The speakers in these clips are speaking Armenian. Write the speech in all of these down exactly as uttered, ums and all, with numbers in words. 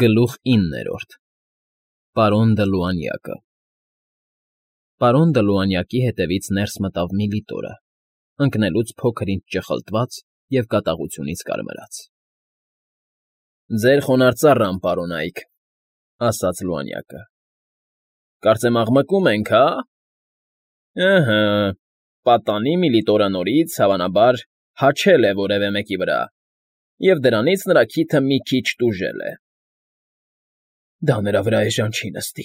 Գլուխ իններորդ Պարոն Դլուանյակը Պարոն Դլուանյակի հետևից ներս մտավ Միլիտորը, ընկնելուց փոքր֊ինչ ճխլտված և կատաղությունից կարմրած։ ֊ Ձեր խոնարհ ծառան, պարոն Այք,֊ ասաց Լուանյակը։ ֊ Կարծեմ աղմկում ենք, հա՞։ ֊ Ըհը, պատանի Միլիտորը նորից, հավանաբար, հաչել է որևէ մեկի վրա, և դրանից նրա քիթը մի քիչ տուժել է։ ֊ Դա նրա վրա էժան չի նստի,֊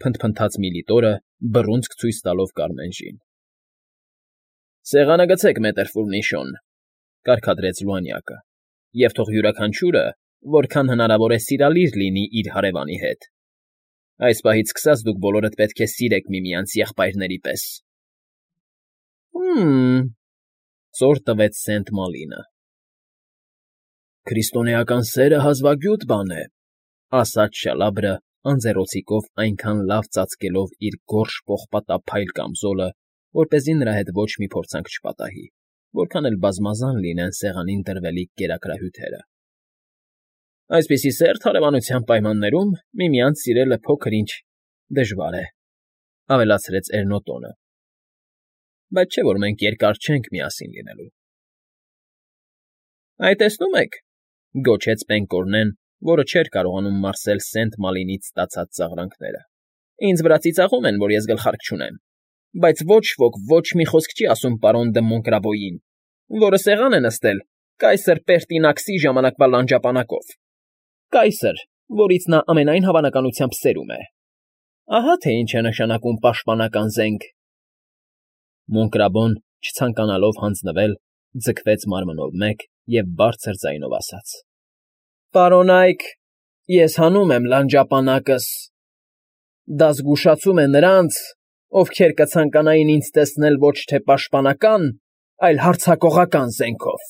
փնթփնթաց Միլիտորը, բռունցք ցույց տալով Կարմենժին։ ֊ Սեղանը գցեք, մետր Ֆուռնիշոն,֊ կարգադրեց Լուանյակը,֊ և թող յուրաքանչյուրը, որքան հնարավոր է սիրալիր լինի իր հարևանի հետ. այս պահից սկսած դուք բոլորդ պետք է սիրեք միմյանց եղբայրների պես։ ֊ Հը՜մ,֊ ծոր տվեց Սենտ Մալինը։ ֊ Քրիստոնեական սերը հազվագյուտ բան է,֊ ասաց Շալաբրը, անձեռոցիկով այնքան լավ ծածկելով իր գորշ պողպատափայլ կամզոլը, որպեսզի նրա հետ ոչ մի փորձանք չպատահի, որքան էլ բազմազան լինեն սեղանին դրվելիք կերակրահյութերը։ ֊ Այսպիսի սերտ հարևանության պայմաններում միմյանց սիրելը փոքր֊ինչ դժվար է,֊ ավելացրեց Էրնոտոնը,֊ բայց չէ որ մենք երկար չենք միասին լինելու։ ֊ Այ, տեսնում եք,֊ գոչեց Պենկոռնեն, որը չէր կարողանում մարսել Սենտ Մալինից ստացած ծաղրանքները,֊ ինձ վրա ծիծաղում են, որ ես գլխարկ չունեմ, բայց ոչ ոք ոչ մի խոսք չի ասում պարոն Դը Մոնկրաբոյին, որը սեղան է նստել կայսր Պերտինաքսի ժամանակվա լանջապանակով, կայսր, որից նա ամենայն հավանականությամբ սերում է։ Ահա թե ինչ է նշանակում պաշտպանական զենք… Մոնկրաբոն, չցանկանալով հանձնվել, ձգվեց մարմնով մեկ և բարձր ձայնով ասաց. ֊ Պարոն Այք, ես հանում եմ լանջապանակս… Դա զգուշացում է նրանց, ովքեր կցանկանային ինձ տեսնել ոչ թե պաշտպանական, այլ հարձակողական զենքով…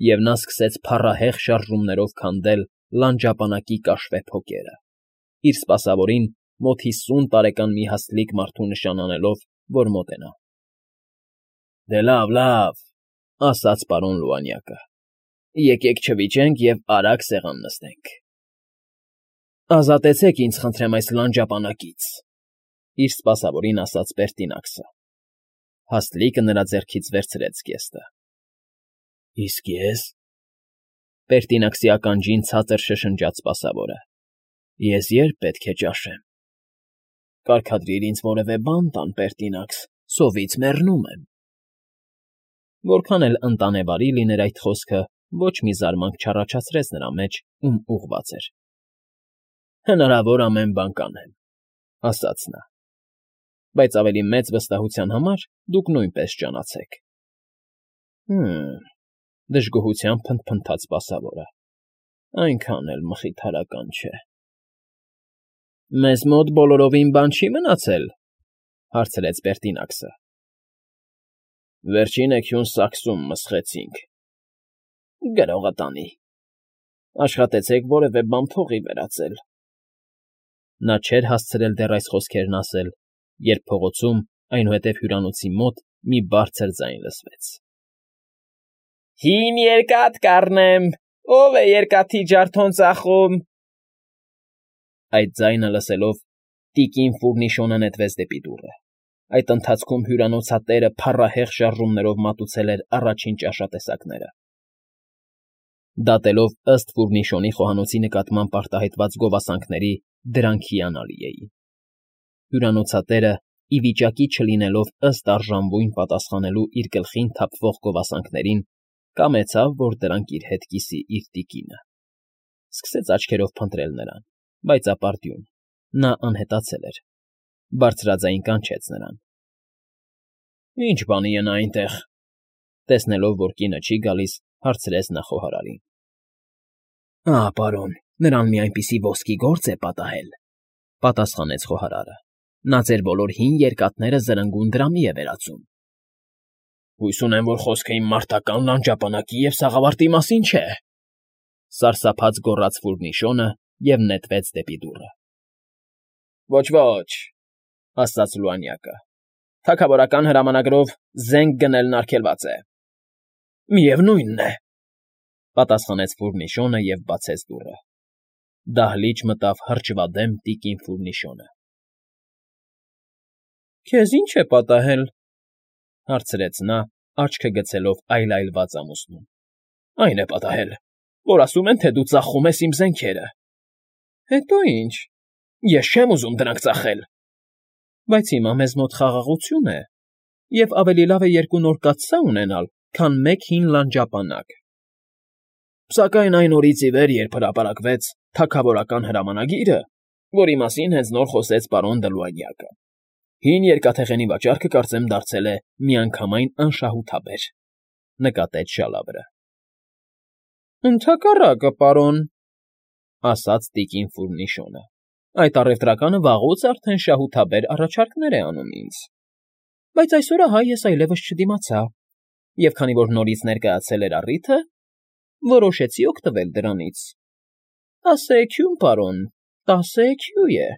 Եվ նա սկսեց փառահեղ շարժումներով քանդել լանջապանակի կաշվե փոկերը, իր սպասավորին մոտ հիսուն տարեկան մի հաստլիկ մարդու նշան անելով, որ մոտենա։ ֊ Դե լավ, լավ,֊ ասաց պարոն Լուանյակը,֊ եկեք չվիճենք և արագ սեղան նստենք։ ֊ Ազատեցեք ինձ, խնդրեմ, այս լանջապանակից,֊ իր սպասավորին ասաց Պերտինաքսը։ Հաստլիկը նրա ձեռքից վերցրեց զգեստը։ ֊ Իսկ ես,֊ Պերտինաքսի ականջին ցածր շշնջաց սպասավորը,֊ ես ե՞րբ պետք է ճաշեմ։ ֊ Կարգադրիր ինձ որևէ բան տան, Պերտինաքս, սովից մեռնում եմ։ Որքան էլ ընտանեվարի լիներ այդ խոսքը, ոչ մի զարմանք չառաջացրեց նրա մեջ, ում ուղղված էր։ ֊ Հնարավոր ամեն բան կանեմ,֊ ասաց նա,֊ բայց ավելի մեծ վստահության համար դուք նույնպես ճանաչեք։ ֊ Հը՜մ,֊ դժգոհությամբ փնթփնթաց սպասավորը,֊ այնքան էլ մխիթարական չէ։ ֊ Մեզ մոտ բոլորովին բան չի մնացել,֊ հարցրեց Պերտինաքսը։ ֊ Վերջինը քյուն սաքսում մսխեցինք։ ֊ Գրողը տանի։ Աշխատեցեք որևէ բան փողի վերածել։ Նա չէր հասցրել դեռ այս խոսքերն ասել, երբ փողոցում, այնուհետև հյուրանոցի մոտ մի բարձր ձայն լսվեց. Հին երկաթ կառնեմ, ո՞վ է երկաթի ջարդոն ծախում… Այդ ձայնը լսելով, տիկին Ֆուռնիշոնը նետվեց դեպի դուռը. այդ ընթացքում հյուրանոցատերը փառահեղ շարժումներով մատուցել էր առաջին ճաշատեսակները։ Դատելով ըստ Ֆուռնիշոնի խոհանոցի նկատմամբ արտահայտված գովասանքների, դրանք հիանալի էին։ Հյուրանոցատերը, ի վիճակի չլինելով ըստ արժանվույն պատասխանելու իր գլխին թափվող գովասանքներին, կամեցավ, որ դրանք իր հետ կիսի իր տիկինը։ Սկսեց աչքերով փնտրել նրան, բայց ապարդյուն, նա անհետացել էր։ Բարձրաձայն կանչեց նրան. ֊ Ի՞նչ բանի է նա այնտեղ,֊ տեսնելով, որ կինը չի գալիս, հարցրեց նա խոհարարին։ ֊ Ահա, պարոն, նրան մի այնպիսի ոսկի գործ է պատահել,֊ պատասխանեց խոհարարը,֊ նա ձեր բոլոր հին երկաթները զրնգուն դրամի է վերածում։ ֊ Հույս ունեմ, որ խոսքը իմ մարտական լանջապանակի և սաղավարտի մասին չէ,֊ սարսափած գոռաց Ֆուռնիշոնը և նետվեց դեպի դուռը։ ֊ Ոչ, ոչ,֊ ասաց Լուանյակը,֊ թագավորական հրամանագրով զենք գնելն արգելված է։ ֊ Միևնույնն է,֊ պատասխանեց Ֆուռնիշոնը և բացեց դուռը։ Դահլիճ մտավ հրճվադեմ տիկին Ֆուրնիշոնը։ ֊ Քեզ ի՞նչ է պատահել,֊ հարցրեց նա, աչքը գցելով այլայլված ամուսնուն։ ֊ Այն է պատահել, որ ասում են, թե դու ծախում ես իմ զենքերը։ ֊ Հետո ի՞նչ, ես չեմ ուզում դրանք ծախել։ ֊ Բայց հիմա մեզ մոտ խաղաղություն է, և ավելի լավ է երկու նոր կաթսա ունենալ, քան մեկ հին լանջապանակ։ ֊ Սակայն այն օրից ի վեր, երբ հրապարակվեց թագավորական հրամանագիրը, որի մասին հենց նոր խոսեց պարոն Դլուանյակը, հին երկաթեղենի վաճառքը կարծեմ դարձել է միանգամայն անշահութաբեր,֊ նկատեց Շալաբրը։ ֊ Ընդհակառակը, պարոն,֊ ասաց տիկին Ֆուրնիշոնը,֊ այդ առևտրականը վաղուց արդեն շահութաբեր առաջարկներ է անում ինձ։ Բայց այսօր ահա ես այլևս չդիմացա, և քանի որ նորից ներկայացել էր առիթը, որոշեցի օգտվել դրանից։ Տասը էքյուն, պարոն, տասը էքյու է,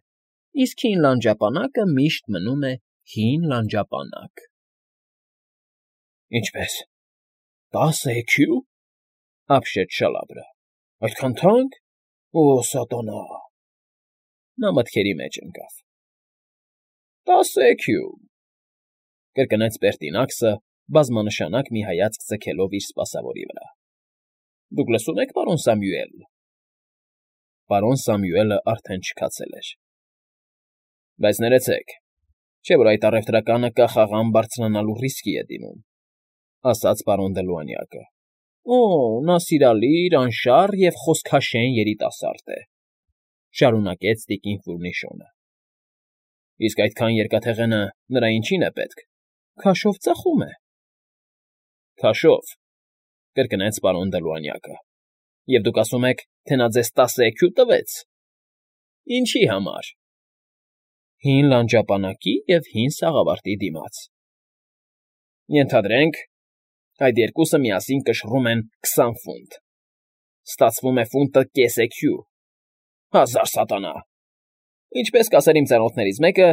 իսկ հին լանջապանակը միշտ մնում է հին լանջապանակ։ ֊ Ինչպե՞ս, տասը էքյու,֊ ապշեց Շալաբրը,֊ այդքան թանկ… Օ, սատանա… Նա մտքերի մեջ ընկավ։ ֊ Տասը էքյու,֊ կրկնեց Պերտինաքսը, բազմանշանակ մի հայացք ձգելով իր սպասավորի վրա։ ֊ Դուք լսում եք, պարոն Սամուել… Պարոն Սամուելը արդեն չքացել էր։ ֊ Բայց ներեցեք, չէ՞ որ այդ առևտրականը կախաղան բարձրանալու ռիսկի է դիմում,֊ ասաց պարոն Դլուանյակը։ ֊ Օ, նա սիրալիր, անշառ և խոսքաշեն երիտասարդ է,֊ շարունակեց տիկին Ֆուրնիշոնը։ ֊ Իսկ այդքան երկաթեղենը նրա ինչի՞ն է պետք, քաշով ծախում է։ ֊ Քաշո՞վ,֊ կրկնեց պարոն Դլուանյակը,֊ և դուք ասում եք, թե նա ձեզ տասը էքյու տվեց… Ինչի՞ համար։ ֊ Հին լանջապանակի և հին սաղավարտի դիմաց։ ֊ Ենթադրենք, այդ երկուսը միասին կշռում են քսան ֆունտ… Ստացվում է ֆունտը կես էքյու… Հազար սատանա… Ինչպես կասեր իմ ծանոթներից մեկը,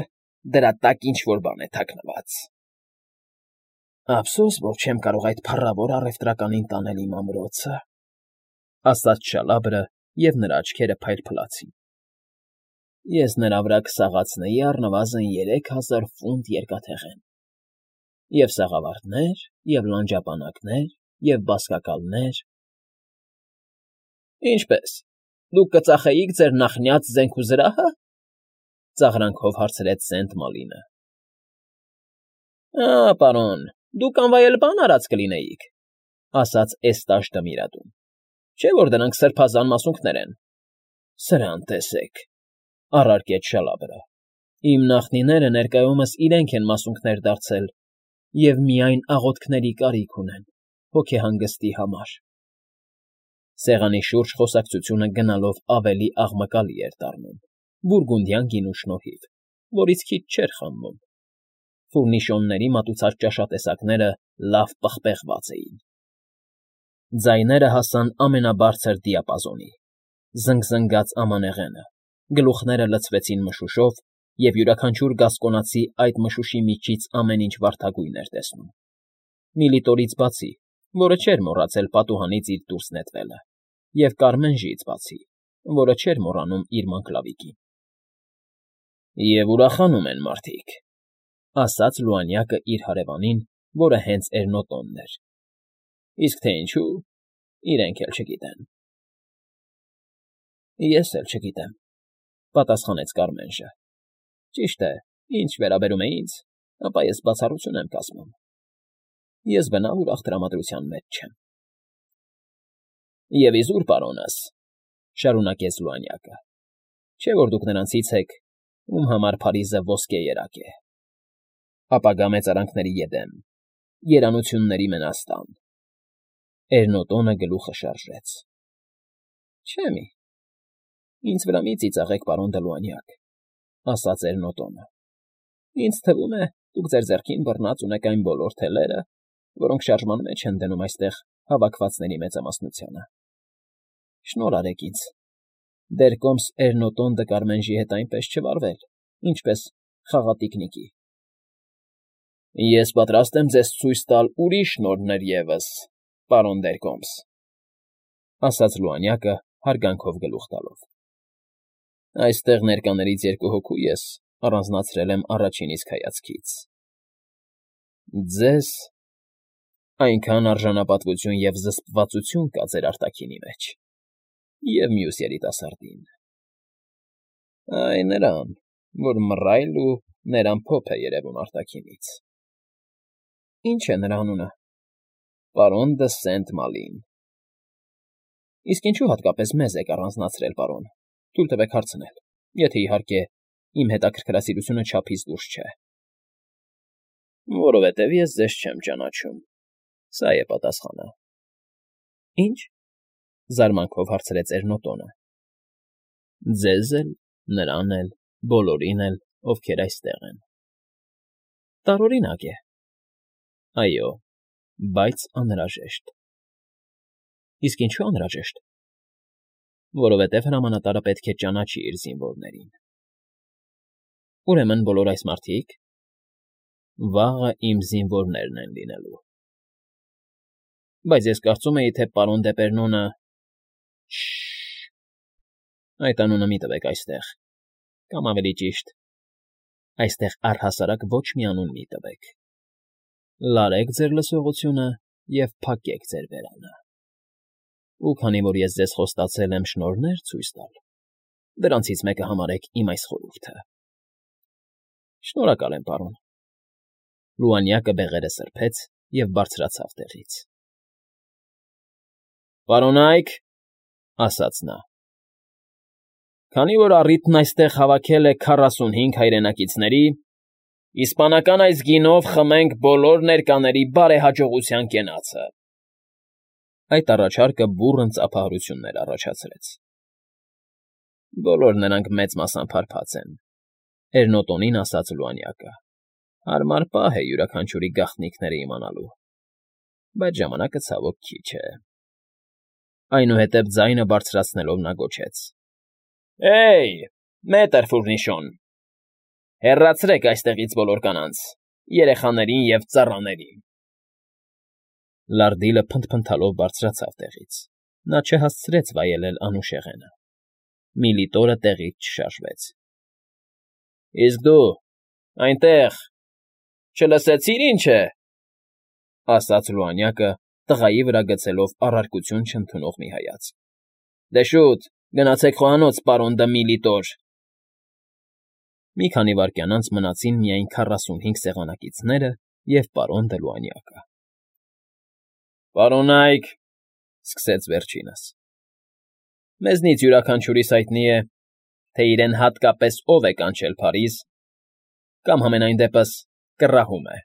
դրա տակ ինչ֊որ բան է թաքնված։ ֊ Ափսոս, որ չեմ կարող այդ փառավոր առևտրականին տանել իմ ամրոցը,֊ ասաց Շալաբրը, և նրա աչքերը փայլփլացին։ ֊ Ես նրա վրա կսաղացնեի առնվազն երեք հազար ֆունտ երկաթեղեն… Եվ սաղավարտներ, և լանջապանակներ, և բազկակալներ… ֊ Ինչպե՞ս, դուք կծախեիք ձեր նախնյաց զենք ու զրահը,֊ ծաղրանքով հարցրեց Սենտ Մալինը։ ֊ Ա՜, պարոն, դուք անվայել բան արած կլինեիք,֊ ասաց Էստաժ Դմիրատուն,֊ չէ՞ որ դրանք սրբազան մասունքներ են։ ֊ Սրան տեսեք,֊ առարկեց Շալաբրը,֊ իմ նախնիները ներկայումս իրենք են մասունքներ դարձել և միայն աղոթքների կարիք ունեն հոգեհանգստի համար… Սեղանի շուրջ խոսակցությունը գնալով ավելի աղմկալի էր դառնում, բուրգունդյան գինու շնորհիվ, որից քիչ չէր խմվում։ Ֆուրնիշոնների մատուցած ճաշատեսակները լավ պղպեղված էին։ Ձայները հասան ամենաբարձր դիապազոնի, զնգզնգաց ամանեղենը, գլուխները լցվեցին մշուշով, և յուրաքանչյուր գասկոնացի այդ մշուշի միջից ամեն ինչ վարդագույն էր տեսնում, Միլիտորից բացի, որը չէր մոռացել պատուհանից իր դուրս նետվելը, և Կարմենժից բացի, որը չէր մոռանում իր մանկլավիկին։ ֊ Եվ ուրախանում են մարդիկ,֊ ասաց Լուանյակը իր հարևանին, որը հենց Էրնոտոնն էր,֊ իսկ թե ինչու, իրենք էլ չգիտեն։ ֊ Ես էլ չգիտեմ,֊ պատասխանեց Կարմենժը։ ֊ Ճիշտ է, ինչ վերաբերում է ինձ, ապա ես բացառություն եմ կազմում. ես բնավ ուրախ տրամադրության մեջ չեմ։ ֊ Եվ իզուր, պարոնս,֊ շարունակեց Լուանյակը,֊ չէ՞ որ դուք նրանցից եք, ում համար Փարիզը ոսկե երակ է, ապագա մեծարանքների էդեմ, երանությունների մենաստան… Էրնոտոնը գլուխը շարժեց։ ֊ Չէ՞ մի… Ինձ վրա մի ծիծաղեք, պարոն Դլուանյակ,֊ ասաց Էրնոտոնը։ Ինձ թվում է, դուք ձեր ձեռքին բռնած ունեք այն բոլոր թելերը, որոնք շարժման մեջ են դնում այստեղ հավաքվածների մեծամասնությանը… Շնորհ արեք ինձ, դեռ կոմս Էրնոտոն դը Կարմենժի հետ այնպես չվարվել, ինչպես խաղատիկնիկի։ ֊ Ես պատրաստ եմ ձեզ ցույց տալ ուրիշ նորհներ ևս, պարոն Դերկոմս,֊ ասաց Լուանյակը՝ հարգանքով գլուխ տալով։ Այստեղ ներկաներից երկու հոգու ես առանձնացրել եմ առաջին իսկ հայացքից. ձեզ այնքան արժանապատվություն և զսպվածություն կա ձեր արտաքինի մեջ, և մյուս երիտասարդին, այ նրան, որ մռայլ ու ներամփոփ է երևում արտաքինից։ ֊ Ի՞նչ է նրա անունը։ ֊ Պարոն դը Սենտ Մալին։ ֊ Իսկ ինչո՞ւ հատկապես մեզ եք առանձնացրել, պարոն, թույլ տվեք հարցնել, եթե, իհարկե, իմ հետաքրքրասիրությունը չափից դուրս չէ։ ֊ Որովհետև ես ձեզ չեմ ճանաչում, սա է պատասխանը։ ֊ Ի՞նչ,֊ զարմանքով հարցրեց Էրնոտոնը։ ֊ Ձեզ էլ, նրան էլ, բոլորին էլ, ովքեր այստեղ են։ ֊ Տարօրինակ է։ ֊ Այո, բայց անհրաժեշտ։ ֊ Իսկ ինչո՞ւ անհրաժեշտ։ ֊ Որովհետև հրամանատարը պետք է ճանաչի իր զինվորներին։ ֊ Ուրեմն բոլոր այս մարդիկ… Վաղը իմ զինվորներն են լինելու։ ֊ Բայց ես կարծում էի, թե պարոն Դեպերնոնը… Շ֊շ֊շ… Այդ անունը մի տվեք այստեղ, կամ, ավելի ճիշտ, այստեղ առհասարակ ոչ մի անուն մի տվեք. լարեք ձեր լսողությունը և փակեք ձեր բերանը։ Ու քանի որ ես ձեզ խոստացել եմ շնորհներ ցույց տալ, դրանցից մեկը համարեք իմ այս խորհուրդը։ ֊ Շնորհակալ եմ, պարոն։ Լուանյակը բեղերը սրբեց և բարձրացավ տեղից։ ֊ Պարոնա՛յք,֊ ասաց նա,֊ քանի որ առիթն այստեղ հավաքել է քառասունհինգ հայրենակիցների, իսպանական այս գինով խմենք բոլոր ներկաների բարեհաջողության կենացը… Այդ առաջարկը բուռն ծափահարություններ առաջացրեց։ Բոլոր նրանք մեծ մասամբ հարբած են,֊ Էրնոտոնին ասաց Լուանյակը։ Հարմար պահ է յուրաքանչյուրի գաղտնիքները իմանալու, բայց ժամանակը ցավոք քիչ է… Այնուհետև ձայնը բարձրացնելով նա գոչեց. «Հե՜յ, մետր Ֆուռնիշոն, հեռացրեք այստեղից բոլոր կանանց, երեխաներին և ծառաներին»։ Լարդիլը փնթփնթալով բարձրացավ տեղից. նա չհասցրեց վայելել անուշեղենը։ Միլիտորը տեղից չշարժվեց։ ֊ Իսկ դու, այնտեղ, չլսեցի՞ր ինչ է,֊ ասաց Լուանյակը, տղայի վրա գցելով առարկություն չընդունող մի հայացք։ ֊ Դե շուտ, գնացեք խոհանոց, պարոն դը Միլիտոր… Մի քանի վայրկյան անց մնացին միայն քառասունհինգ սեղանակիցները և պարոն դը Լուանյակը։ ֊ Պարոնա՛յք,֊ սկսեց վերջինս,֊ մեզնից յուրաքանչյուրիս հայտնի է, թե իրեն հատկապես ով է կանչել Փարիզ կամ, համենայն դեպս, կռահում է։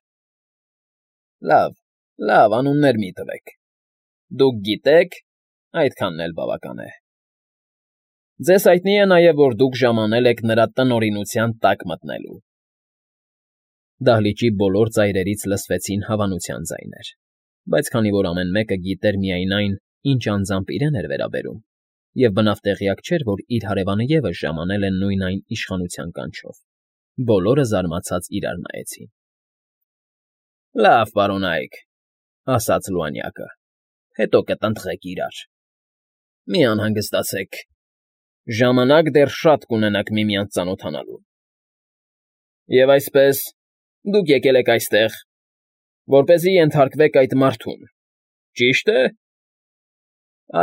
Լավ, լավ, անուններ մի տվեք… Դուք գիտեք, այդքանն էլ բավական է։ Ձեզ հայտնի է նաև, որ դուք ժամանել եք նրա տնօրինության տակ մտնելու… Դահլիճի բոլոր ծայրերից լսվեցին հավանության ձայներ, բայց քանի որ ամեն մեկը գիտեր միայն այն, ինչ անձամբ իրեն էր վերաբերում, և բնավ տեղյակ չէր, որ իր հարևանը ևս ժամանել է նույն այն իշխանության կանչով, բոլորը զարմացած իրար նայեցին։ ֊ Լավ, պարոնա՛յք,֊ ասաց Լուանյակը,֊ հետո կտնտղեք իրար… Մի անհանգստացեք, ժամանակ դեռ շատ կունենաք միմյանց ծանոթանալու… Եվ այսպես, դուք եկել եք այստեղ, որպեսզի ենթարկվեք այդ մարդուն, ճի՞շտ է։ ֊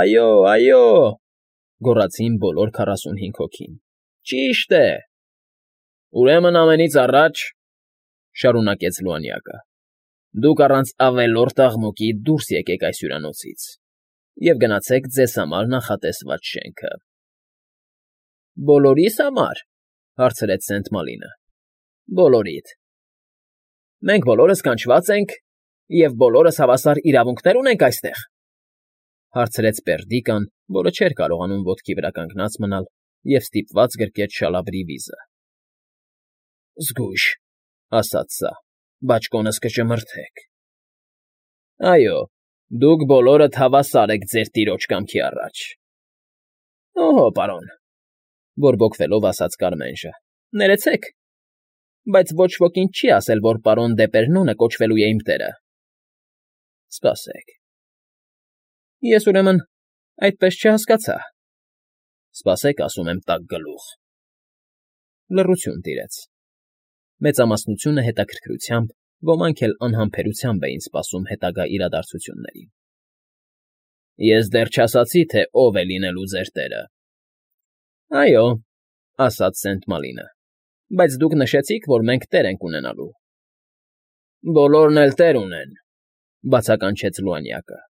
Այո, այո,֊ գոռացին բոլոր քառասունհինգ հոգին,֊ ճիշտ է… Ուրեմն ամենից առաջ,֊ շարունակեց Լուանյակը,֊ դուք առանց ավելորդ աղմուկի դուրս եկեք այս հյուրանոցից և գնացեք ձեզ համար նախատեսված շենքը։ ֊ Բոլորի՞ս համար,֊ հարցրեց Սենտ Մալինը։ ֊ Բոլորիդ։ ֊ Մենք բոլորս կանչված ենք և բոլորս հավասար իրավունքներ ունենք այստեղ,֊ հարցրեց Պերդիկան, որը չէր կարողանում ոտքի վրա կանգնած մնալ և ստիպված գրկեց շալաբրի վիզը։ ֊ Զգույշ,֊ ասաց սա,֊ բաճկոնս կճմրթեք։ ֊ Այո, դուք բոլորդ հավասար եք ձեր տիրոջ կամքի առաջ։ ֊ Օհո, պարոն,֊ բորբոքվելով ասաց Կարմենժը,֊ ներեցեք, բայց ոչ ոք ինձ չի ասել, որ պարոն Դեպերնոնը կոչվելու է իմ տերը։ ֊ Սպասեք… Ես, ուրեմն, այդպես չհասկացա… Սպասեք, ասում եմ, տաք գլուխ… Լռություն տիրեց։ Մեծամասնությունը հետաքրքրությամբ, ոմանք էլ անհամբերությամբ էին սպասում հետագա իրադարձություններին։ ֊ Ես դեռ չասացի, թե ով է լինելու ձեր տերը։ ֊ Այո, ասաց Սենտ Մալինը, բայց դուք նշեցիք, որ մենք տեր ենք ունենալու։ ֊ Բոլորն էլ տեր ունեն,֊ բացականչեց Լուանյակը։ ֊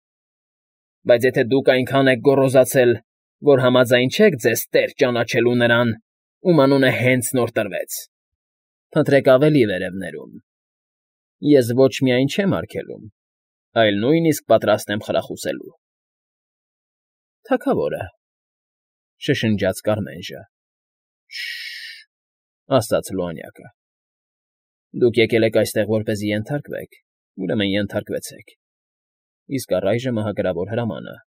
Բայց եթե դուք այնքան եք գոռոզացել, որ համաձայն չեք ձեզ տեր ճանաչելու նրան, ում անունը հենց նոր տրվեց, փնտրեք ավելի վերևներում. ես ոչ միայն չեմ արգելում, այլ նույնիսկ պատրաստ եմ խրախուսելու։ ֊ Թագավորը,֊ շշնջաց Կարմենժը։ ֊ Շ֊շ֊շ,֊ ասաց Լուանյակը։ ֊ Դուք եկել եք այստեղ որպեսզի ենթարկվեք, ուրեմն ենթարկվեցեք։ Իսկ առայժմ ահագրավոր հրամանը,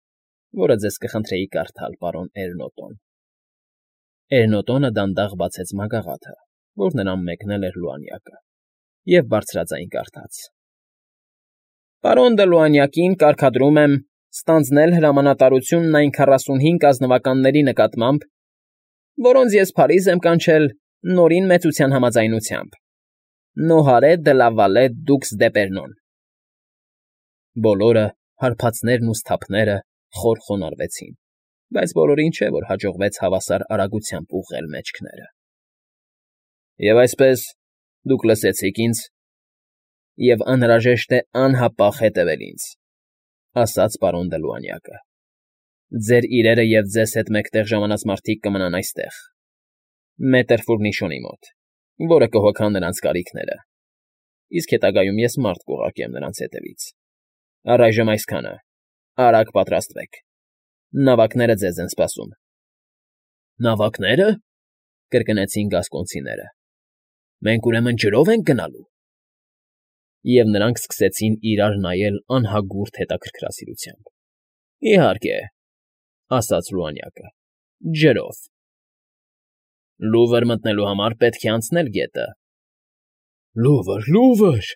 որը ձեզ կխնդրեի կարդալ, պարոն Էրնոտոն։ Էրնոտոնը դանդաղ բացեց մագաղաթը, որ նրան մեկնել էր Լուանյակը, և բարձրաձայն կարդաց. Պարոն դը Լուանյակին կարգադրում եմ ստանձնել հրամանատարությունն այն քառասունհինգ ազնվականների նկատմամբ, որոնց ես Փարիզ եմ կանչել Նորին մեծության համաձայնությամբ. Նոհարե դը լա Վալե դուքս դեպերնոն։ Բոլորը, հարբածներն ու սթափները, խոր խոնարհվեցին, բայց բոլորին չէ, որ հաջողվեց հավասար արագությամբ ուղղել մեջքները։ Եվ այսպես, դուք լսեցիք ինձ, և անհրաժեշտ է անհապաղ հետևել ինձ, ասաց պարոն դը Լուանյակը։ Ձեր իրերը և ձեզ հետ մեկտեղ ժամանած մարդիկ կմնան այստեղ, մետր Ֆուրնիշոնի մոտ, որը կհոգա նրանց կարիքները, իսկ հետագայում ես մարդ կուղարկեմ նրանց հետևից։ Առայժմ այսքանը, արագ պատրաստվեք, նավակները ձեզ են սպասում։ ֊ Նավակնե՞րը,֊ կրկնեցին գասկոնցիները։ ֊ Մենք ուրեմն ջրո՞վ ենք գնալու։ Եվ նրանք սկսեցին իրար նայել անհագուրդ հետաքրքրասիրությամբ։ ֊ Իհարկե,֊ ասաց Լուանյակը,֊ ջրով։ ֊ Լուվր մտնելու համար պետք է անցնել գետը։ ֊ Լուվր, Լուվր,֊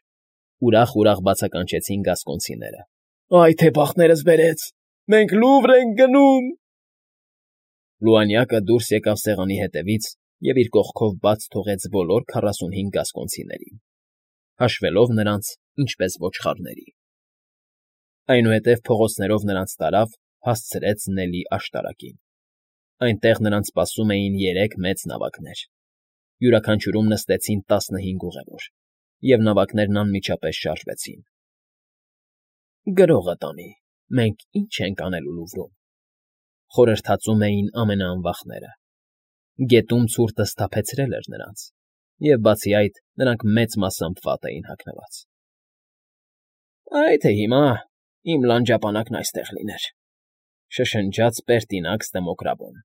ուրախ֊ուրախ բացականչեցին գասկոնցիները։ ֊ Այ թե բախներս բերեց, մենք Լուվր ենք գնում։ Լուանյակը դուրս եկավ սեղանի հետևից և իր կողքով բաց թողեց բոլոր քառասունհինգ գասկոնցիներին, հաշվելով նրանց ինչպես ոչխարների։ Այնուհետև փողոցներով նրանց տարավ, հասցրեց Նելի աշտարակին։ Այնտեղ նրանց սպասում էին երեք մեծ նավակներ։ Յուրաքանչյուրում նստեցին տասնհինգ ուղևոր, և նավակներն անմիջապես շարժվեցին։ Գրողը տանի, մենք ի՞նչ ենք անելու Լուվրում,֊ խորհրդածում էին ամենաանվախները։ Գետում ցուրտը սթափեցրել էր նրանց, և, բացի այդ, նրանք մեծ մասամբ վատ էին հագնված։ ֊ Այ թե հիմա իմ լանջապանակն այստեղ լիներ,֊ շշնջաց Պերտինաքս Դեմոկրաբոն։